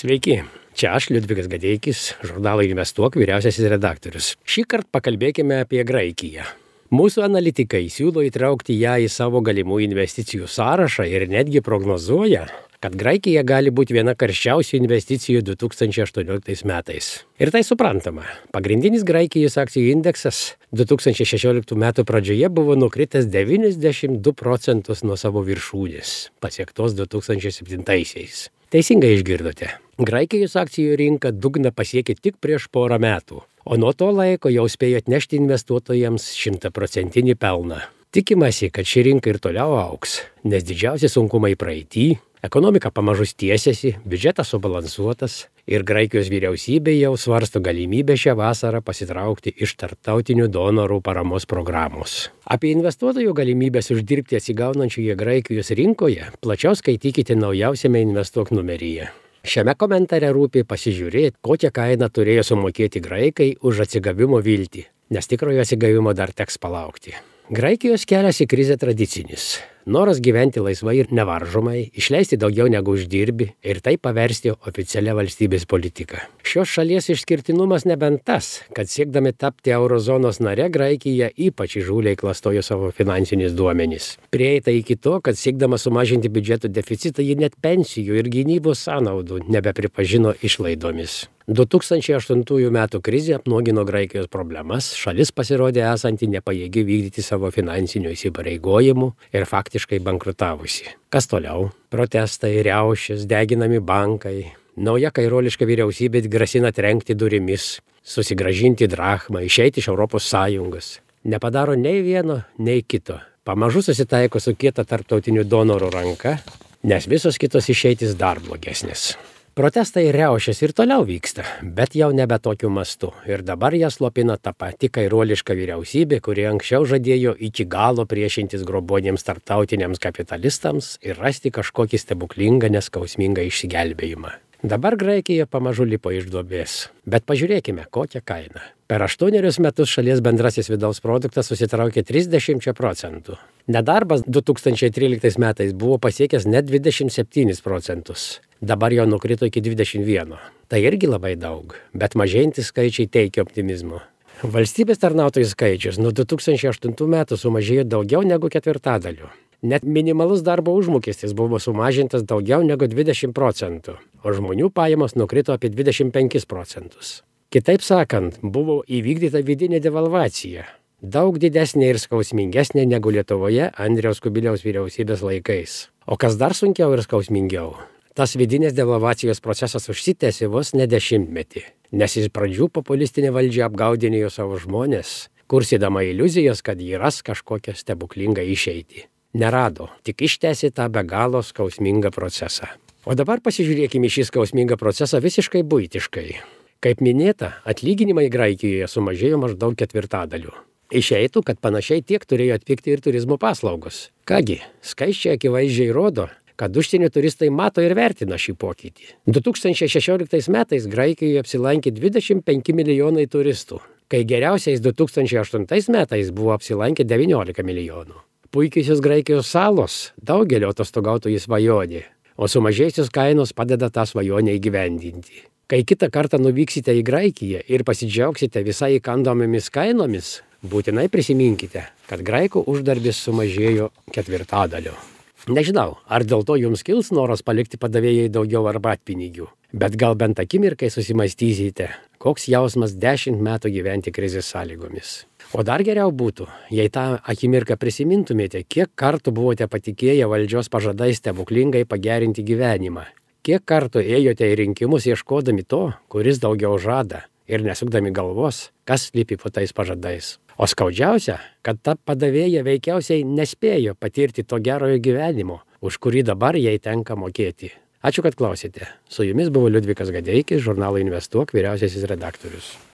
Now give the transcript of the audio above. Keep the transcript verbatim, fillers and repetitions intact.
Sveiki, čia aš Liudvikas Gadeikis, žurnalo Investuok vyriausiasis redaktorius. Šįkart pakalbėkime apie Graikiją. Mūsų analitikai siūlo įtraukti ją į savo galimų investicijų sąrašą ir netgi prognozuoja, kad Graikija gali būti viena karščiausių investicijų du tūkstančiai aštuonioliktais metais. Ir tai suprantama. Pagrindinis Graikijos akcijų indeksas du tūkstančiai šešioliktų metų pradžioje buvo nukritęs devyniasdešimt du procentus nuo savo viršūnės, pasiektos du tūkstančiai septintaisiais. Teisingai išgirdote. Graikijos akcijų rinka dugną pasiekė tik prieš porą metų, o nuo to laiko jau spėjo atnešti investuotojams šimtaprocentinį pelną. Tikimasi, kad ši rinka ir toliau augs, nes didžiausi sunkumai praeity, ekonomika pamažu tiesiasi, biudžetas subalansuotas ir Graikijos vyriausybė jau svarsto galimybę šią vasarą pasitraukti iš tarptautinių donorų paramos programos. Apie investuotojų galimybės uždirbti atsigaunančioje Graikijos rinkoje plačiau skaitykite naujausiame Investuok numeryje. Šiame komentare rūpi pasižiūrėti, kokią kainą turėjo sumokėti graikai už atsigavimo viltį, nes tikrojo atsigavimo dar teks palaukti. Graikijos kelias į krizę tradicinis. Noras gyventi laisvai ir nevaržomai, išleisti daugiau negu uždirbi ir tai paversti oficialia valstybės politika. Šios šalies išskirtinumas nebent tas, kad siekdami tapti eurozonos nare, Graikija ypač įžūliai klastojo savo finansinius duomenis. Prieita iki to, kad siekdama sumažinti biudžeto deficitą, ji net pensijų ir gynybos sąnaudų nebepripažino išlaidomis. du tūkstančiai aštuntųjų metų krizė apnuogino Graikijos problemas, šalis pasirodė esanti nepajėgi vykdyti savo finansinių įsipareigojimų ir faktiškai bankrutavusi. Kas toliau? Protestai, riaušės, deginami bankai. Nauja kairoliška vyriausybė grasina trenkti durimis, susigrąžinti drachmą, išeiti iš Europos Sąjungos. Nepadaro nei vieno, nei kito. Pamažu susitaiko su kieta tarptautinių donorų ranka, nes visos kitos išeitis dar blogesnės. Protestai ir riaušės ir toliau vyksta, bet jau nebe tokiu mastu. Ir dabar jas slopina ta pati kairuoliška vyriausybė, kuri anksčiau žadėjo iki galo priešintis grobuoniems tarptautiniams kapitalistams ir rasti kažkokį stebuklingą, neskausmingą išsigelbėjimą. Dabar Graikija pamažu lipo iš duobės. Bet pažiūrėkime, kokią kainą. Per aštuonerius metus šalies bendrasis vidaus produktas susitraukė trisdešimt procentų. Nedarbas du tūkstančiai tryliktais metais buvo pasiekęs net dvidešimt septynis procentus. Dabar jau nukrito iki dvidešimt vieno. Tai irgi labai daug, bet mažėjantys skaičiai teikia optimizmo. Valstybės tarnautojų skaičius nuo du tūkstančiai aštuntų metų sumažėjo daugiau negu ketvirtadaliu. Net minimalus darbo užmokestis buvo sumažintas daugiau negu dvidešimt procentų, o žmonių pajamos nukrito apie dvidešimt penkis procentus. Kitaip sakant, buvo įvykdyta vidinė devalvacija, daug didesnė ir skausmingesnė negu Lietuvoje Andriaus Kubiliaus vyriausybės laikais. O kas dar sunkiau ir skausmingiau? Tas vidinės devalvacijos procesas užsitęsė vos ne dešimtmetį, nes iš pradžių populistinė valdžia apgaudinėjo savo žmonės, kursydama iliuzijas, kad jį ras kažkokią stebuklingą išeitį. Nerado, tik ištęsė tą be galo skausmingą procesą. O dabar pasižiūrėkime šį skausmingą procesą visiškai buitiškai. Kaip minėta, atlyginimai Graikijoje sumažėjo maždaug ketvirtadaliu. Išeitų, kad panašiai tiek turėjo atpigti ir turizmo paslaugos. Kągi, skaičiai akivaizdžiai rodo, kad užsienio turistai mato ir vertina šį pokytį. du tūkstančiai šešioliktais metais Graikijoje apsilankė dvidešimt penki milijonai turistų, kai geriausiais du tūkstančiai aštuntais metais buvo apsilankę devyniolika milijonų. Puikiosios Graikijos salos daugelio atostogautojų svajonė, o sumažėjusios kainos padeda tą svajonę įgyvendinti. Kai kitą kartą nuvyksite į Graikiją ir pasidžiaugsite visai įkandomomis kainomis, būtinai prisiminkite, kad graikų uždarbis sumažėjo ketvirtadaliu. Nežinau, ar dėl to jums kils noras palikti padavėjai daugiau arbatpinigių, bet gal bent akimirkai susimastysite, koks jausmas dešimt metų gyventi krizės sąlygomis. O dar geriau būtų, jei tą akimirką prisimintumėte, kiek kartų buvote patikėję valdžios pažadais stebuklingai pagerinti gyvenimą. Kiek kartų ėjote į rinkimus ieškodami to, kuris daugiau žada, ir nesukdami galvos, kas slypi po tais pažadais. O skaudžiausia, kad ta padavėja veikiausiai nespėjo patirti to gerojo gyvenimo, už kurį dabar jai tenka mokėti. Ačiū, kad klausėte. Su jumis buvo Liudvikas Gadeikis, žurnalo Investuok vyriausiasis redaktorius.